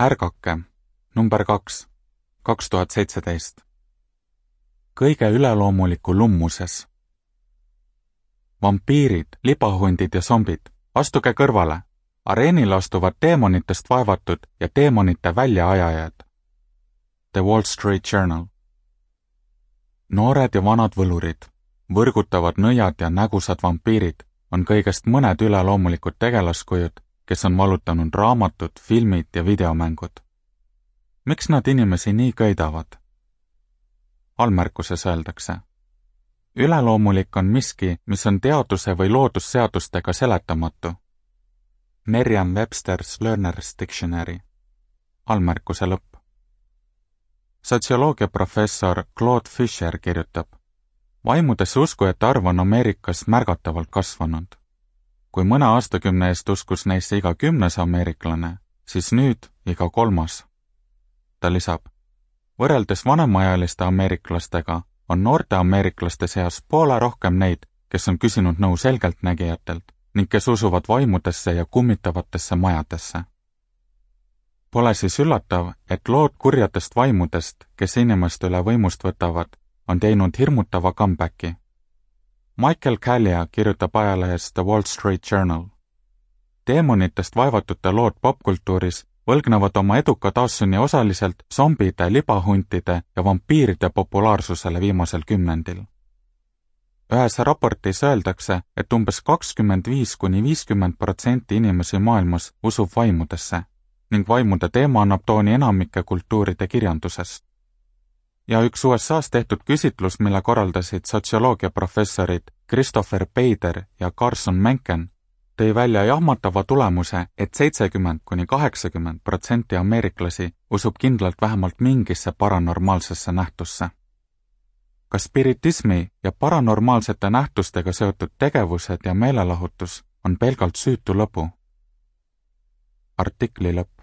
Ärgake, number 2, 2017. Kõige üleloomuliku lummuses. Vampiirid, libahundid ja zombid, astuge kõrvale. Areenil astuvad teemonitest vaevatud ja teemonite väljaajajad. The Wall Street Journal. Noored ja vanad võlurid, võrgutavad nõiad ja nägusad vampiirid on kõigest mõned üleloomulikud tegelaskujud, kes on valutanud raamatud, filmid ja videomängud. Miks nad inimesi nii köidavad? Allmärkuses öeldakse. Üleloomulik on miski, mis on teaduse või loodusseadustega seletamatu. Merriam-Webster's Learner's Dictionary. Allmärkuse lõpp. Sotsioloogia professor Claude Fisher kirjutab, vaimudesse uskujate arv on Ameerikas märgatavalt kasvanud. Kui mõne aastakümne eest uskus neisse iga 10. ameeriklane, siis nüüd iga 3. Ta lisab, võrreldes vanemaealiste ameeriklastega on noorte ameeriklaste seas poole rohkem neid, kes on küsinud nõu selgeltnägijatelt ning kes usuvad vaimudesse ja kummitavatesse majadesse. Pole siis üllatav, et lood kurjadest vaimudest, kes inimeste üle võimust võtavad, on teinud hirmutava comebacki. Michael Callia kirjutab ajalehes The Wall Street Journal. Teemonitest vaevatute lood popkultuuris võlgnevad oma eduka taassünni osaliselt zombide, libahuntide ja vampiiride populaarsusele viimasel 10. Ühes raportis öeldakse, et umbes 25–50% inimesi maailmas usub vaimudesse ning vaimude teema annab tooni enamike kultuuride kirjandusest. Ja üks USA's tehtud küsitlus, mille korraldasid sotsioloogiaprofessorid Christopher Bader ja Carson Menken, tõi välja jahmatava tulemuse, et 70–80% ameeriklasi usub kindlalt vähemalt mingisse paranormaalsesse nähtusse. Ka spiritismi ja paranormaalsete nähtustega seotud tegevused ja meelelahutus on pelgalt süütu lõbu. Artikli lõpp.